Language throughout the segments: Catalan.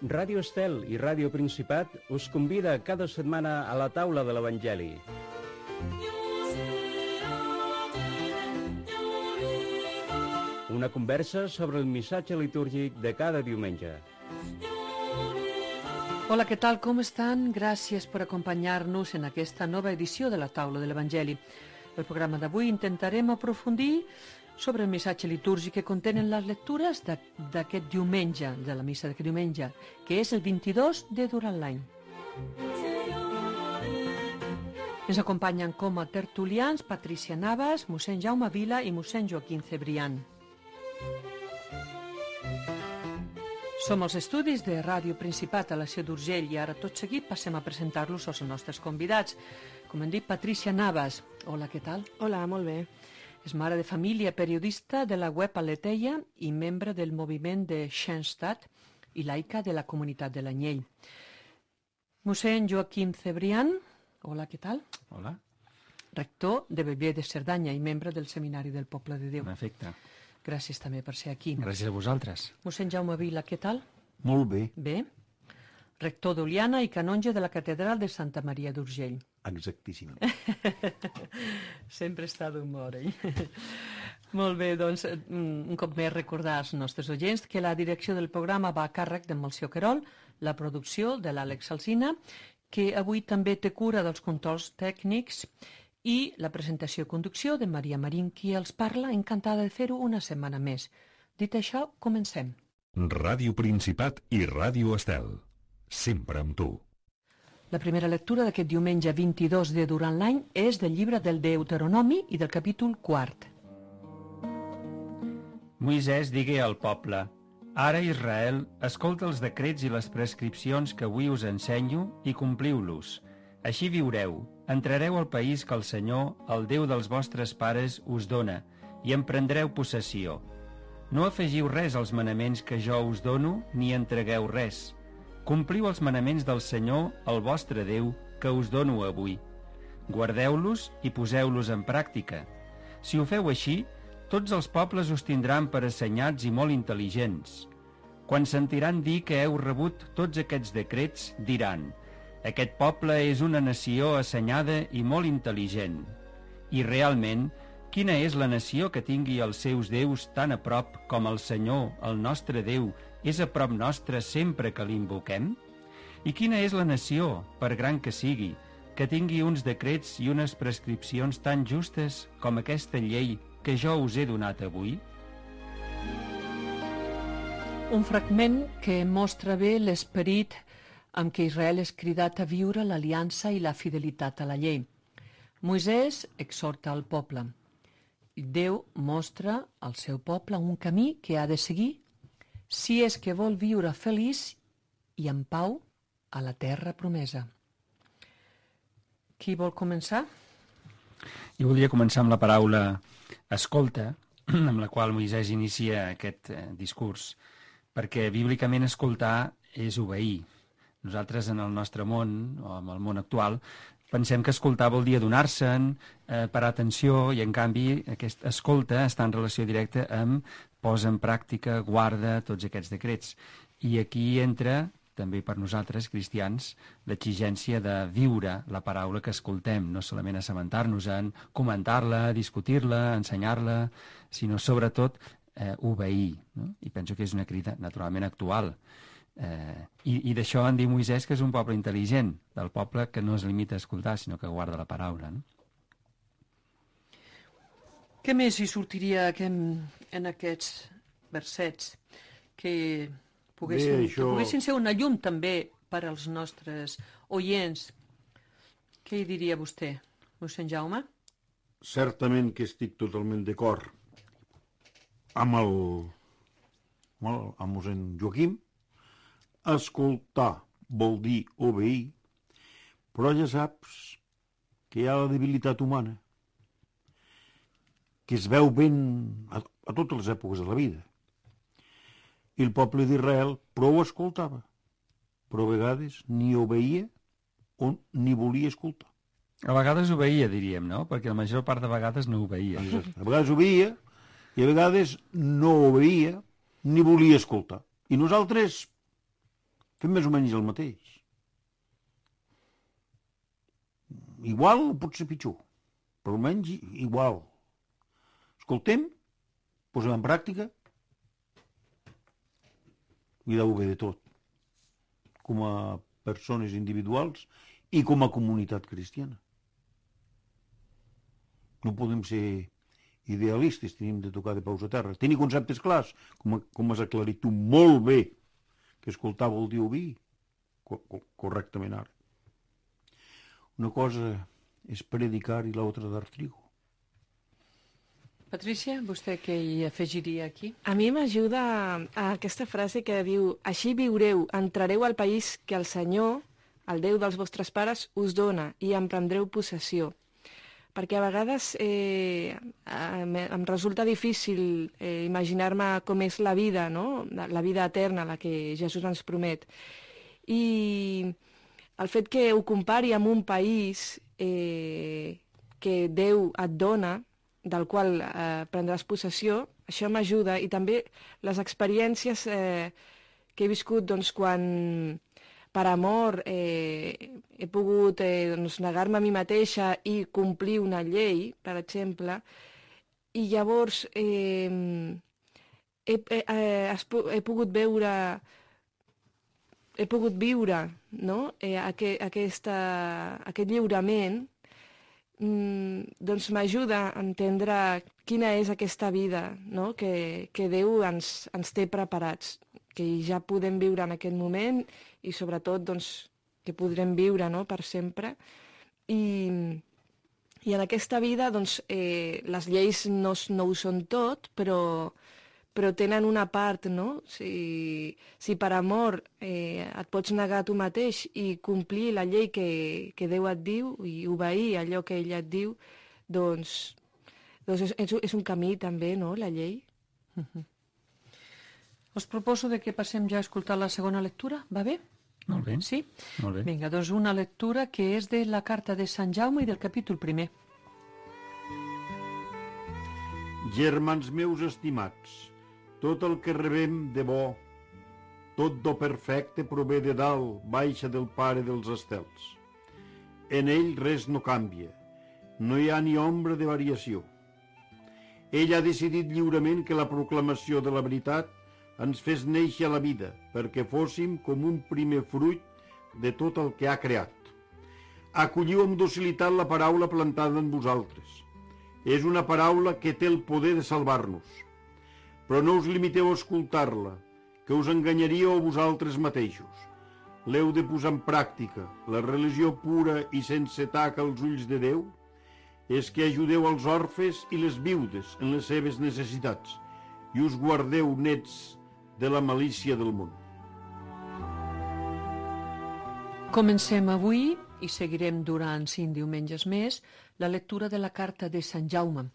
Ràdio Estel i Ràdio Principat us convida cada setmana a la taula de l'Evangeli. Una conversa sobre el missatge litúrgic de cada diumenge. Hola, què tal? Com estan? Gràcies per acompanyar-nos en aquesta nova edició de la taula de l'Evangeli. El programa d'avui intentarem aprofundir sobre el missatge litúrgic que contenen les lectures d'aquest diumenge, de la missa d'aquest diumenge, que és el 22 de durant l'any. Ens acompanyen com a tertulians Patricia Navas, mossèn Jaume Vila i mossèn Joaquim Cebrián. Som als estudis de Ràdio Principat a la Seu d'Urgell i ara tot seguit passem a presentar-los als nostres convidats. Com hem dit, Patricia Navas. Hola, què tal? Hola, molt bé. És mare de família, periodista de la web Aleteia i membre del moviment de Schoenstatt i laica de la comunitat de l'Anyell. Mossèn Joaquim Cebrián. Hola, què tal? Hola. Rector de Bellver de Cerdanya i membre del Seminari del Poble de Déu. En efecte. Gràcies també per ser aquí. Gràcies a vosaltres. Mossèn Jaume Vila, què tal? Molt bé. Bé. Rector d'Oliana i canonge de la Catedral de Santa Maria d'Urgell. Exactíssimament. Sempre està d'humor, Molt bé, doncs, un cop més recordar als nostres oients que la direcció del programa va a càrrec de Melcior Querol, la producció de l'Àlex Alsina, que avui també té cura dels controls tècnics, i la presentació i conducció de Maria Marín, qui els parla, encantada de fer-ho una setmana més. Dit això, comencem. Ràdio Principat i Ràdio Estel. Sempre amb tu. La primera lectura d'aquest diumenge 22 de durant l'any és del llibre del Deuteronomi i del capítol 4. Moisès digué al poble: Ara, Israel, escolta els decrets i les prescripcions que avui us ensenyo i compliu-los. Així viureu, entrareu al país que el Senyor, el Déu dels vostres pares, us dona, i en prendreu possessió. No afegiu res als manaments que jo us dono, ni entregueu res. Compliu els manaments del Senyor, el vostre Déu, que us dono avui. Guardeu-los i poseu-los en pràctica. Si ho feu així, tots els pobles us tindran per assenyats i molt intel·ligents. Quan sentiran dir que heu rebut tots aquests decrets, diran: aquest poble és una nació assenyada i molt intel·ligent. I realment, quina és la nació que tingui els seus déus tan a prop com el Senyor, el nostre Déu, és a prop nostre sempre que l'invoquem? I quina és la nació, per gran que sigui, que tingui uns decrets i unes prescripcions tan justes com aquesta llei que jo us he donat avui? Un fragment que mostra bé l'esperit amb què Israel és cridat a viure l'aliança i la fidelitat a la llei. Moisès exhorta al poble. Déu mostra al seu poble un camí que ha de seguir si és que vol viure feliç i en pau a la terra promesa. Qui vol començar? Jo voldria començar amb la paraula escolta, amb la qual Moisès inicia aquest discurs, perquè bíblicament escoltar és obeir. Nosaltres en el nostre món, o en el món actual, pensem que escoltar vol dir adonar-se'n, parar atenció, i en canvi aquesta escolta està en relació directa amb posa en pràctica, guarda tots aquests decrets. I aquí entra, també per nosaltres, cristians, l'exigència de viure la paraula que escoltem, no solament assabentar-nos-en, comentar-la, discutir-la, ensenyar-la, sinó sobretot obeir. No? I penso que és una crida naturalment actual. I d'això en diu Moisès que és un poble intel·ligent, del poble que no es limita a escoltar, sinó que guarda la paraula. No? Què més hi sortiria en aquests versets que poguessin ser una llum també per als nostres oients? Què hi diria vostè, mossèn Jaume? Certament que estic totalment d'acord amb mossèn Joaquim. Escoltar vol dir obeir, però ja saps que hi ha la debilitat humana, que es veu ben a totes les èpoques de la vida. I el poble d'Israel prou escoltava, però a vegades ni obeïa o ni volia escoltar. A vegades obeïa, diríem, no? Perquè la major part de vegades no obeïa. A vegades obeïa i a vegades no obeïa ni volia escoltar. I nosaltres fem més o menys el mateix. Igual o potser pitjor, però almenys igual. Escoltem, posem en pràctica, cuideu bé de tot, com a persones individuals i com a comunitat cristiana. No podem ser idealistes, tenim de tocar de peus a terra. Tenir conceptes clars, com has aclarit tu molt bé, que escoltar vol dir oir correctament ara. Una cosa és predicar i l'altra dar trigo. Patricia, vostè què hi afegiria aquí? A mi m'ajuda a aquesta frase que diu: així viureu, entrareu al país que el Senyor, el Déu dels vostres pares, us dona i en prendreu possessió. Perquè a vegades em resulta difícil imaginar-me com és la vida, no? La vida eterna, la que Jesús ens promet. I el fet que ho compari amb un país que Déu et dona, del qual prendràs possessió, això m'ajuda. I també les experiències que he viscut doncs, quan per amor he pogut negar-me a mi mateixa i complir una llei, per exemple, i llavors he pogut viure no? Aquest lliurament, doncs m'ajuda a entendre quina és aquesta vida, no? que Déu ens té preparats, que ja podem viure en aquest moment i sobretot doncs, que podrem viure no? per sempre. I en aquesta vida doncs, les lleis no ho són tot, però tenen una part, no? Si per amor et pots negar a tu mateix i complir la llei que Déu et diu i obeir allò que ell et diu, doncs és un camí també, no?, la llei. Us proposo que passem ja a escoltar la segona lectura, va bé? Molt bé. Sí? Molt bé. Vinga, doncs una lectura que és de la carta de Sant Jaume i del capítol 1. Germans meus estimats, tot el que rebem de bo, tot do perfecte prové de dalt, baixa del Pare dels estels. En ell res no canvia, no hi ha ni ombra de variació. Ell ha decidit lliurement que la proclamació de la veritat ens fes néixer a la vida, perquè fóssim com un primer fruit de tot el que ha creat. Acolliu amb docilitat la paraula plantada en vosaltres. És una paraula que té el poder de salvar-nos. Però no us limiteu a escoltar-la, que us enganyaríeu a vosaltres mateixos. L'heu de posar en pràctica. La religió pura i sense taca als ulls de Déu és que ajudeu els orfes i les viudes en les seves necessitats i us guardeu nets de la malícia del món. Comencem avui, i seguirem durant 5 diumenges més, la lectura de la carta de Sant Jaume.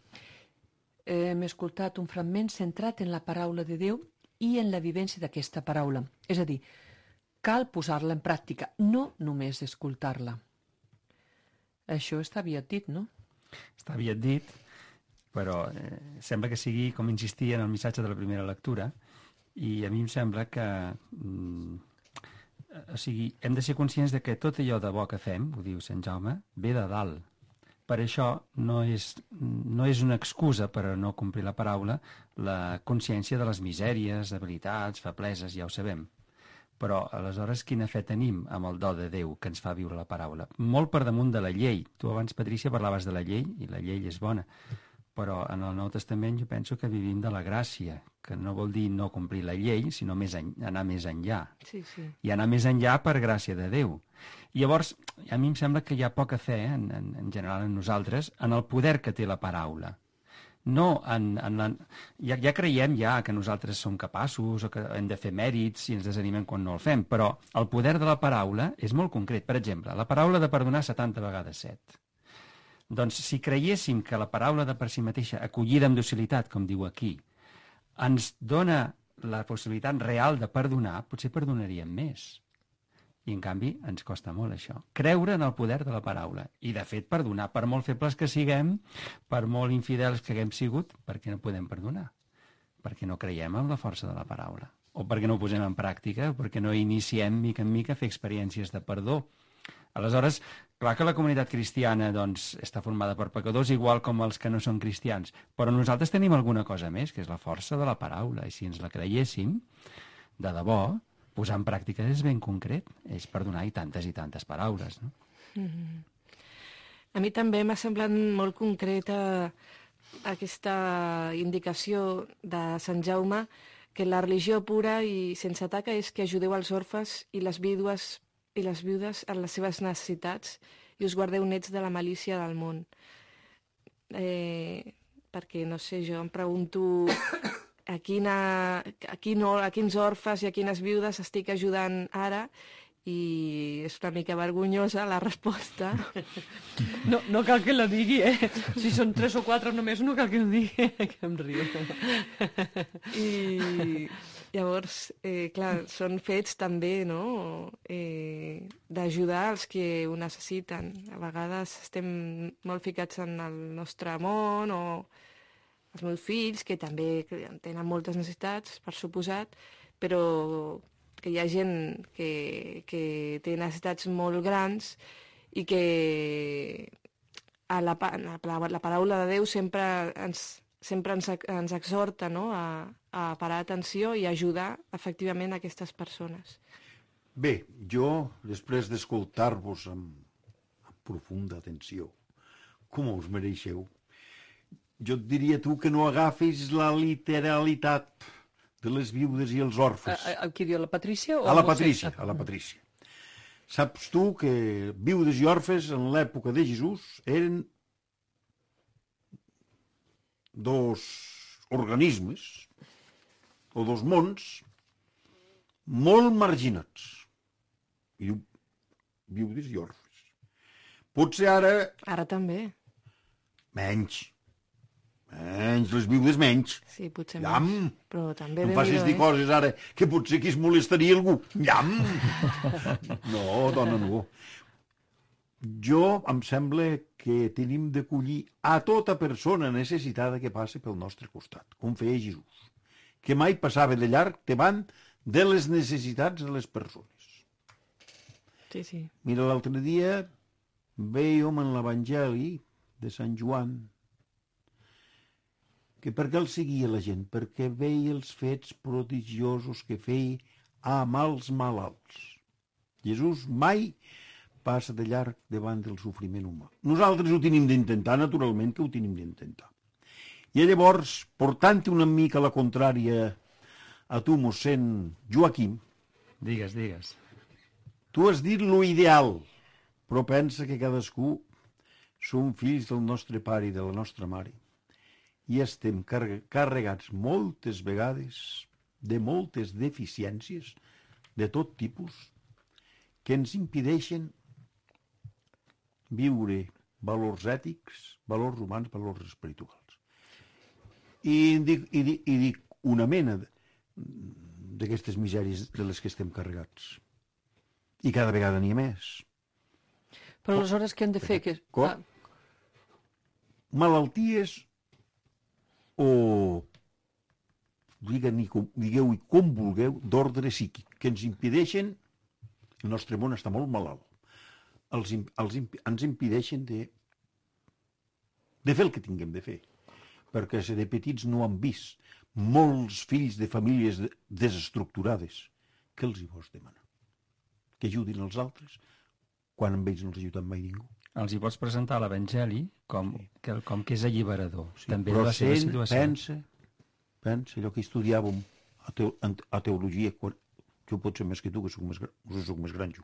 Hem escoltat un fragment centrat en la paraula de Déu i en la vivència d'aquesta paraula. És a dir, cal posar-la en pràctica, no només escoltar-la. Això està aviat dit, no? Està aviat dit, però sembla que sigui com insistir en el missatge de la primera lectura, i a mi em sembla que hem de ser conscients de que tot allò de bo que fem, ho diu Sant Jaume, ve de dalt. Per això no és una excusa per a no complir la paraula la consciència de les misèries, debilitats, febleses, ja ho sabem. Però aleshores quina fe tenim amb el do de Déu que ens fa viure la paraula? Molt per damunt de la llei. Tu abans, Patrícia, parlaves de la llei, i la llei és bona. Però en el Nou Testament jo penso que vivim de la gràcia, que no vol dir no complir la llei, sinó anar més enllà. Sí. I anar més enllà per gràcia de Déu. I llavors, a mi em sembla que hi ha poca fe, en general en nosaltres, en el poder que té la paraula. No ja creiem que nosaltres som capaços o que hem de fer mèrits i ens desanimem quan no el fem, però el poder de la paraula és molt concret. Per exemple, la paraula de perdonar 70 vegades 7. Doncs si creiéssim que la paraula de per si mateixa, acollida amb docilitat, com diu aquí, ens dona la possibilitat real de perdonar, potser perdonaríem més. I, en canvi, ens costa molt això. Creure en el poder de la paraula. I, de fet, perdonar. Per molt febles que siguem, per molt infidels que haguem sigut, per què no podem perdonar? Perquè no creiem en la força de la paraula. o perquè no ho posem en pràctica, perquè no iniciem mica en mica a fer experiències de perdó. Aleshores, clar que la comunitat cristiana doncs, està formada per pecadors igual com els que no són cristians, però nosaltres tenim alguna cosa més, que és la força de la paraula, i si ens la creiéssim, de debò, posar en pràctica és ben concret, és perdonar i tantes paraules, no? A mi també m'ha semblat molt concreta aquesta indicació de Sant Jaume que la religió pura i sense taca és que ajudeu els orfes i les vídues en les seves necessitats i us guardeu nets de la malícia del món. Perquè, no sé, jo em pregunto a quins orfes i a quines viudes estic ajudant ara, i és una mica vergonyosa la resposta. No cal que la digui, Si són 3 o 4 només, no cal que ho digui, que em rio. I llavors, clar, són fets també, no?, d'ajudar els que ho necessiten. A vegades estem molt ficats en el nostre món, o els meus fills, que també tenen moltes necessitats, per suposat, però que hi ha gent que té necessitats molt grans i que la paraula de Déu sempre ens exhorta, no?, a parar atenció i ajudar efectivament aquestes persones. Bé, jo, després d'escoltar-vos amb profunda atenció, com us mereixeu, jo et diria tu que no agafis la literalitat de les viudes i els orfes. Qui diu, la Patrícia? A la Patrícia. Saps tu que viudes i orfes en l'època de Jesús eren dos organismes o dos mons molt marginats. I viudes i orfes. Potser ara... Ara també. Menys, les viudes menys. Sí, potser Llam. menys. Però també No em facis dir coses ara que potser aquí es molestaria algú. Llam! No, dona, no. Jo em sembla que tenim d'acollir a tota persona necessitada que passi pel nostre costat, com feia Jesús, que mai passava de llarg davant de les necessitats de les persones. Sí. Mira, l'altre dia vèiem en l'Evangeli de Sant Joan que per què el seguia la gent? Perquè veia els fets prodigiosos que feia amb els malalts. Jesús mai passa de llarg davant del sofriment humà. Nosaltres ho tenim d'intentar, naturalment que ho tenim d'intentar. I llavors, portant una mica la contrària a tu, mossèn Joaquim... Digues. Tu has dit lo ideal, però pensa que cadascú som fills del nostre pare i de la nostra mare. I estem carregats moltes vegades de moltes deficiències de tot tipus que ens impedeixen viure valors ètics, valors humans, valors espirituals. I dic una mena d'aquestes misèries de les que estem carregats. I cada vegada n'hi ha més. Però aleshores què hem de fer? Malalties o digueu-hi com vulgueu, d'ordre psíquic, que ens impedeixen, el nostre món està molt malalt, ens impedeixen de fer el que tinguem de fer, perquè si de petits no han vist molts fills de famílies desestructurades, què els hi vols demanar? Que ajudin els altres, quan amb ells no els ha ajudat mai ningú. Els hi pots presentar l'Evangeli com que és alliberador, Sí, també de la seva situació. Pensa, allò que estudiàvem a teologia, jo pot ser més que tu, que soc més gran jo,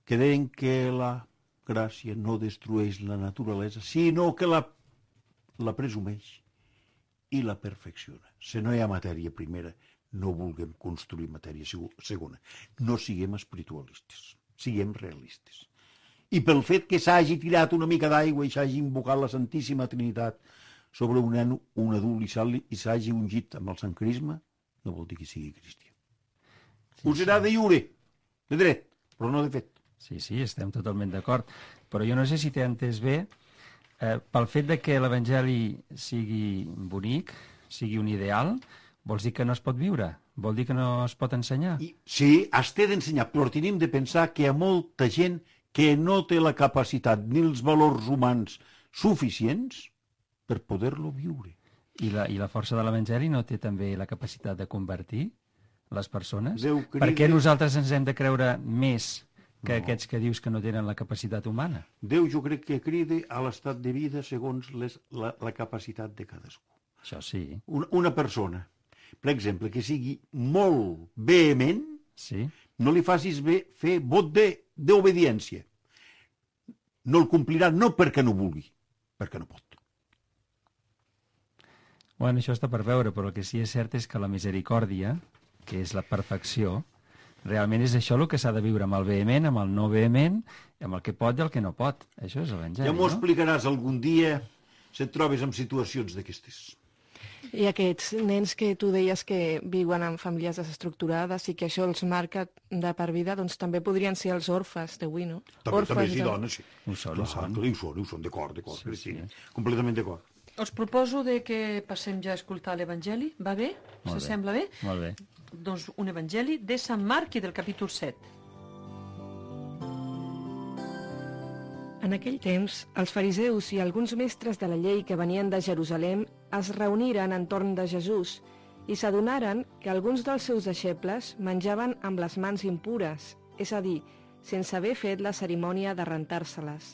que deien que la gràcia no destrueix la naturalesa, sinó que la presumeix i la perfecciona. Si no hi ha matèria primera, no vulguem construir matèria segona. No siguem espiritualistes, siguem realistes. I pel fet que s'hagi tirat una mica d'aigua i s'hagi invocat la Santíssima Trinitat sobre un nen, un adult, i s'hagi ungit amb el Sant Crisma, no vol dir que sigui cristià. Ho serà de lliure, de dret, però no de fet. Sí, estem totalment d'acord. Però jo no sé si t'he entès bé, pel fet de que l'Evangeli sigui bonic, sigui un ideal, vols dir que no es pot viure? Vol dir que no es pot ensenyar? Sí, es té d'ensenyar, però tenim de pensar que hi ha molta gent que no té la capacitat ni els valors humans suficients per poder-lo viure. I la força de l'Evangeli no té també la capacitat de convertir les persones? Déu crida... Per què nosaltres ens hem de creure més que aquests que dius que no tenen la capacitat humana? Déu jo crec que crida a l'estat de vida segons la capacitat de cadascú. Això sí. Una persona, per exemple, que sigui molt vehement, Sí? no li facis fer vot d'obediència. No el complirà no perquè no vulgui, perquè no pot. Bueno, això està per veure, però el que sí és cert és que la misericòrdia, que és la perfecció, realment és això el que s'ha de viure, amb el vehement, amb el no vehement, amb el que pot i el que no pot. Això és l'Evangeli, Ja m'ho no? explicaràs algun dia si et trobes en situacions d'aquestes. I aquests nens que tu deies que viuen en famílies desestructurades i que això els marca de per vida, doncs també podrien ser els orfes d'avui, no? També sí, dones, sí. Ho són, Clar, ho són. d'acord, Sí, Cristina. sí. Completament d'acord. Us proposo de que passem ja a escoltar l'Evangeli. Va bé? Molt Se bé. sembla bé? Molt bé. Doncs un Evangeli de Sant Marc i del capítol 7. En aquell temps, els fariseus i alguns mestres de la llei que venien de Jerusalem es reuniren entorn de Jesús i s'adonaren que alguns dels seus deixebles menjaven amb les mans impures, és a dir, sense haver fet la cerimònia de rentar-se-les.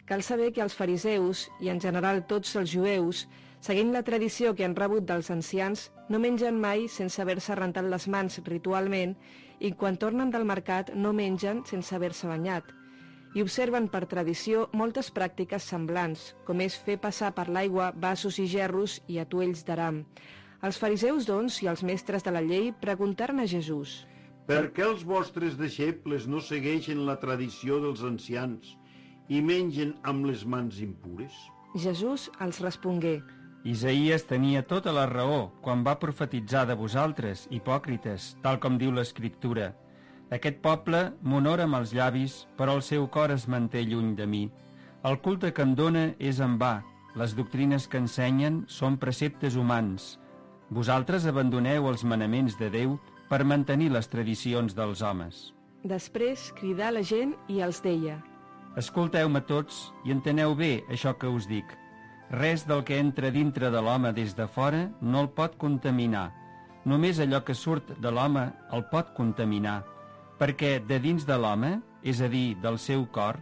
Cal saber que els fariseus, i en general tots els jueus, seguint la tradició que han rebut dels ancians, no mengen mai sense haver-se rentat les mans ritualment i quan tornen del mercat no mengen sense haver-se banyat. I observen per tradició moltes pràctiques semblants, com és fer passar per l'aigua vasos i gerros i atuells d'aram. Els fariseus, doncs, i els mestres de la llei preguntaren a Jesús: Per què els vostres deixebles no segueixen la tradició dels ancians i mengen amb les mans impures? Jesús els respongué: Isaïes tenia tota la raó quan va profetitzar de vosaltres, hipòcrites, tal com diu l'Escriptura. Aquest poble m'honora amb els llavis, però el seu cor es manté lluny de mi. El culte que em dóna és en va. Les doctrines que ensenyen són preceptes humans. Vosaltres abandoneu els manaments de Déu per mantenir les tradicions dels homes. Després cridà la gent i els deia: Escolteu-me tots i enteneu bé això que us dic. Res del que entra dintre de l'home des de fora no el pot contaminar. Només allò que surt de l'home el pot contaminar, perquè de dins de l'home, és a dir, del seu cor,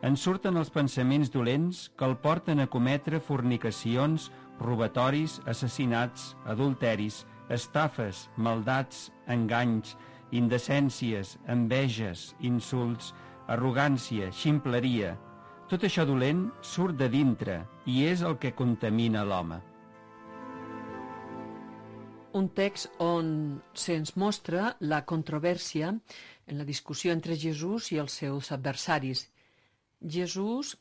en surten els pensaments dolents que el porten a cometre fornicacions, robatoris, assassinats, adulteris, estafes, maldats, enganys, indecències, enveges, insults, arrogància, ximpleria. Tot això dolent surt de dintre i és el que contamina l'home. Un text on se'ns mostra la controvèrsia en la discussió entre Jesús i els seus adversaris. Jesús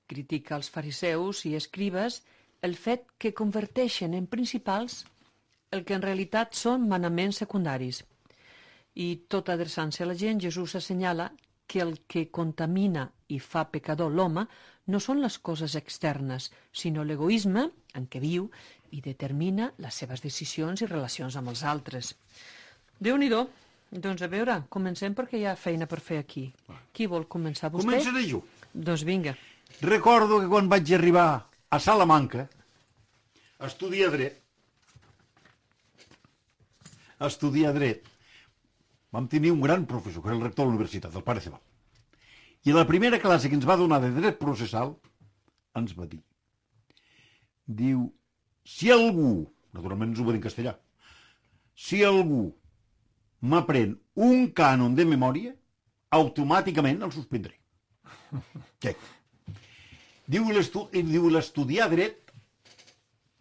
critica als fariseus i escribes el fet que converteixen en principals el que en realitat són manaments secundaris. I tot adreçant-se a la gent, Jesús assenyala que el que contamina i fa pecador l'home no són les coses externes, sinó l'egoisme en què viu i determina les seves decisions i relacions amb els altres. Déu-n'hi-do. Doncs a veure, comencem perquè hi ha feina per fer aquí. Qui vol començar? Vostè? Començaré jo. Doncs vinga. Recordo que quan vaig arribar a Salamanca a estudiar dret, vam tenir un gran professor, que era el rector de la universitat, el pare Cebal. I la primera classe que ens va donar de dret processal ens va dir, diu, si algú, naturalment ens ho va dir en castellà, si algú m'aprèn un cànon de memòria, automàticament el suspendré. Què? Diu l'estudiar dret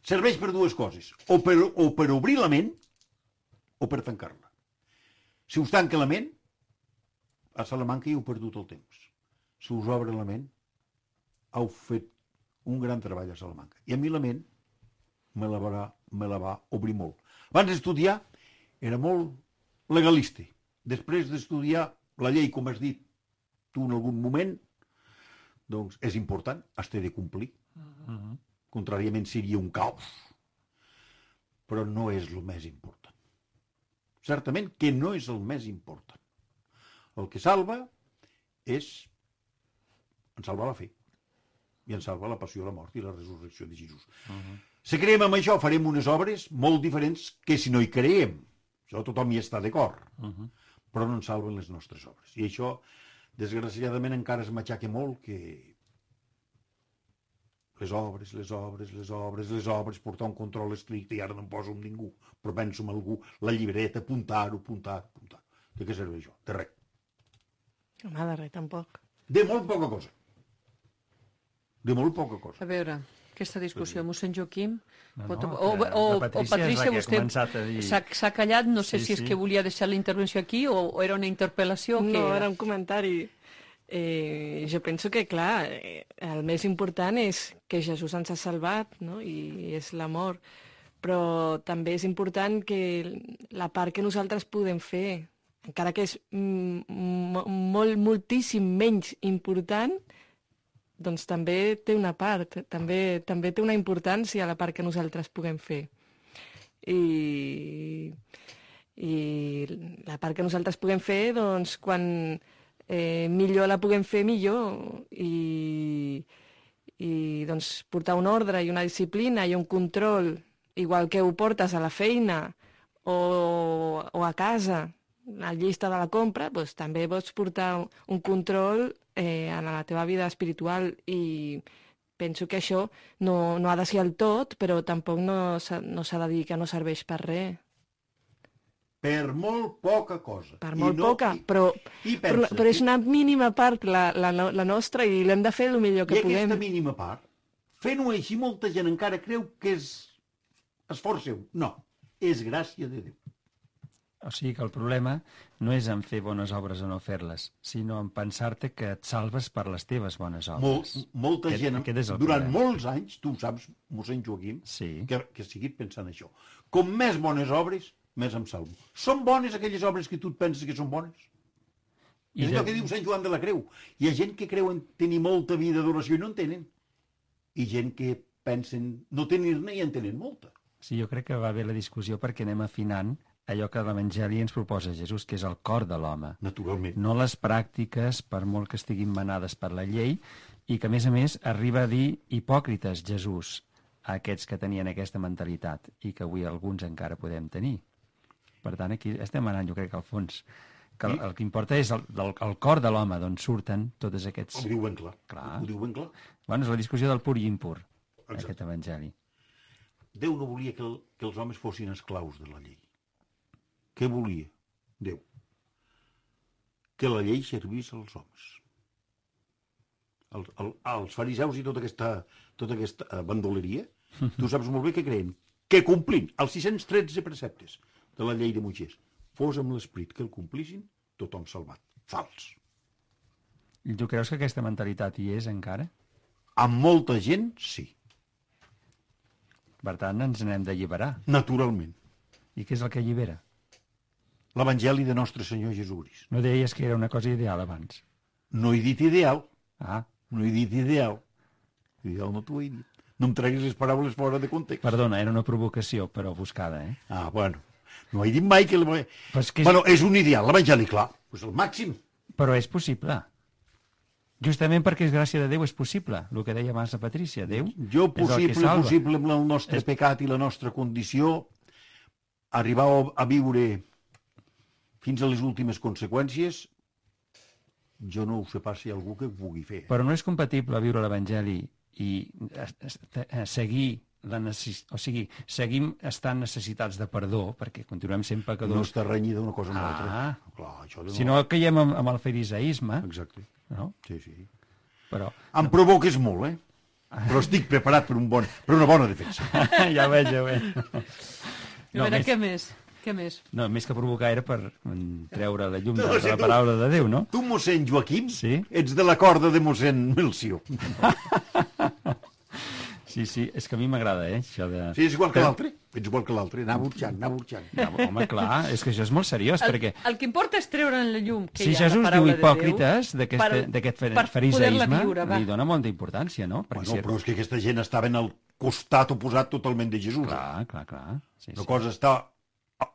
serveix per dues coses, o per obrir la ment o per tancar-la. Si us tanca la ment, a Salamanca hi heu perdut el temps. Si us obre la ment, heu fet un gran treball a Salamanca. I a mi la ment me la va obrir molt. Abans d'estudiar era molt legalista. Després d'estudiar la llei, com has dit tu en algun moment, doncs és important, has de complir. Contràriament seria un caos. Però no és el més important. certament que no és el més important. El que salva és... ens salva la fe. I ens salva la passió, la mort i la resurrecció de Jesús. Si creiem en això, farem unes obres molt diferents que si no hi creiem. Això tothom hi està d'acord. Però no ens salven les nostres obres. I això, desgraciadament, encara es matxaca molt que les obres, portar un control estricte, i ara no em poso amb ningú, però penso en algú, la llibreta, apuntar-ho. De què serveix això? De res. Home, de res, tampoc. De molt poca cosa. A veure, aquesta discussió, mossèn Joaquim, o la Patrícia és la que ha vostè començat a dir... s'ha callat, no sé si és que volia deixar la intervenció aquí o era una interpel·lació. No, era un comentari. Jo penso que, clar, el més important és que Jesús ens ha salvat, no? I és l'amor. Però també és important que la part que nosaltres podem fer, encara que és moltíssim menys important, doncs també té una part, també té una importància la part que nosaltres puguem fer. I la part que nosaltres puguem fer, doncs, quan millor la puguem fer, millor. I doncs, portar un ordre i una disciplina i un control, igual que ho portes a la feina o a casa, a la llista de la compra, doncs també pots portar un control en la teva vida espiritual, i penso que això no ha de ser el tot, però tampoc no s'ha de dir que no serveix per res. Per molt poca cosa. Per molt poca, però és una mínima part la nostra, i l'hem de fer el millor que puguem. I aquesta mínima part, fent-ho així, molta gent encara creu que és esforç seu. No, és gràcia de Déu. O sigui que el problema no és en fer bones obres o no fer-les, sinó en pensar-te que et salves per les teves bones obres. Molta gent, durant molts anys, tu ho saps, mossèn Joaquim, sí, que he seguit pensant això. Com més bones obres, més em salvo. Són bones aquelles obres que tu et penses que són bones? És allò que diu Sant Joan de la Creu. Hi ha gent que creu en tenir molta vida d'oració i no en tenen. I gent que pensen no tenir-ne i en tenen molta. Sí, jo crec que va bé la discussió perquè anem afinant allò que l'Evangeli ens proposa Jesús, que és el cor de l'home. Naturalment. No les pràctiques, per molt que estiguin manades per la llei, i que, a més, arriba a dir hipòcrites Jesús a aquests que tenien aquesta mentalitat i que avui alguns encara podem tenir. Per tant, aquí estem anant, jo crec, al fons. Que el que importa és el cor de l'home, d'on surten totes aquests... Ho diu ben clar. Ho diu ben clar. Bueno, és la discussió del pur i impur, aquest Evangeli. Déu no volia que els homes fossin esclaus de la llei. Què volia Déu? Que la llei servís als homes. Els fariseus i tota aquesta bandoleria, tu saps molt bé què creen? Que complint els 613 preceptes de la llei de Moisès fos amb l'esperit que el complissin, tothom salvat. Fals. I tu creus que aquesta mentalitat hi és encara? Amb molta gent, sí. Per tant, ens n'hem d'alliberar. Naturalment. I què és el que allibera? L'Evangeli de Nostre Senyor Jesús. No deies que era una cosa ideal abans? No he dit ideal. No he dit ideal. Ideal no t'ho he dit. No em treguis les paraules fora de context. Perdona, era una provocació, però buscada, eh? Bueno. No he dit mai que... Bueno, és un ideal, l'Evangeli, clar. És el màxim. Però és possible. Justament perquè és gràcia de Déu és possible, el que deia abans la Patrícia. Déu possible amb el nostre pecat i la nostra condició, arribar a viure fins a les últimes conseqüències, jo no ho sé pas si hi ha algú que ho pugui fer. Però no és compatible viure l'Evangeli i seguir o sigui, seguim estant necessitats de perdó, perquè continuem sent pecadors. No està renyida una cosa amb l'altra. Clar, si no caiem amb el fariseisme. Exacte. No? Sí. Però... Em provoques molt, Però estic preparat per una bona defensa. Ja ho veig. A veure, què més? No, més que provocar era per treure la llum de la paraula de Déu, no? Tu, mossèn Joaquim, sí? Ets de la corda de mossèn Melcior. Sí, és que a mi m'agrada, això de... Sí, és igual que l'altre. Ets igual que l'altre, anar burxant. Home, clar, és que això és molt seriós, perquè... El que importa és treure en la llum que hi ha la paraula de Déu. Si Jesús diu hipòcrites d'aquest fariseisme, li dona molta importància, no? Bueno, però és que aquesta gent estaven al costat oposat totalment de Jesús. Clar. Una cosa està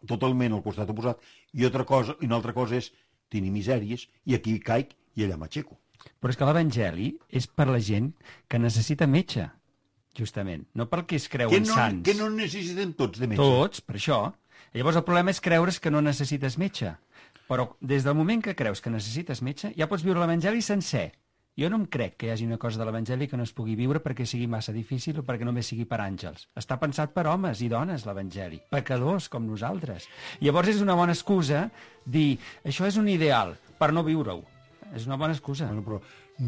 totalment al costat oposat, i una altra cosa és tenir misèries, i aquí caic i allà m'aixeco. Però és que l'Evangeli és per la gent que necessita metge, justament, no pel que es creuen sants. Que no necessitem tots de metge. Tots, per això. Llavors el problema és creure's que no necessites metge. Però des del moment que creus que necessites metge, ja pots viure l'Evangeli sencer. Jo no em crec que hi hagi una cosa de l'Evangeli que no es pugui viure perquè sigui massa difícil o perquè només sigui per àngels. Està pensat per homes i dones, l'Evangeli, pecadors com nosaltres. Llavors és una bona excusa dir això és un ideal per no viure-ho. És una bona excusa. Bueno, però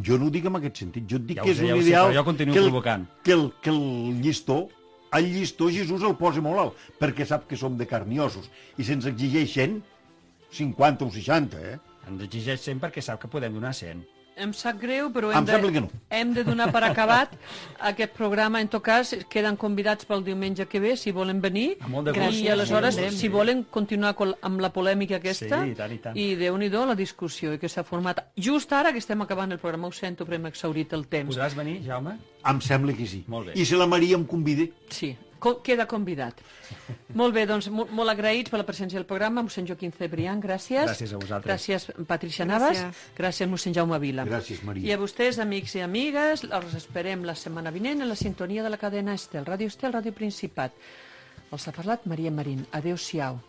jo no ho dic en aquest sentit. Jo et dic Ja ho que és sé, un ideal però jo continuo provocant. que el llistó Jesús el posa molt alt, perquè sap que som de carn i ossos, i se'ns exigeix 100, 50 o 60, Ens exigeix 100 perquè sap que podem donar 100. Em sap greu, però Em sembla que no. hem de donar per acabat aquest programa. En tot cas, queden convidats pel diumenge que ve, si volen venir. Amb molt de gust. I aleshores, Sí. si volen continuar amb la polèmica aquesta, Sí, i tant, i tant. i Déu-n'hi-do la discussió que s'ha format. Just ara que estem acabant el programa, ho sento, però hem exhaurit el temps. Podràs venir, Jaume? Em sembla que sí. Molt bé. I si la Maria em convida, Sí, queda convidat. Molt bé, doncs molt agraïts per la presència del programa. Mossèn Joaquim Cebrián, gràcies. Gràcies a vosaltres. Gràcies, Patricia Navas. Gràcies, mossèn Jaume Vila. gràcies, Maria. I a vostès, amics i amigues, els esperem la setmana vinent en la sintonia de la cadena Estel, Ràdio Estel, Ràdio Principat. Els ha parlat Maria Marín. Adéu-siau.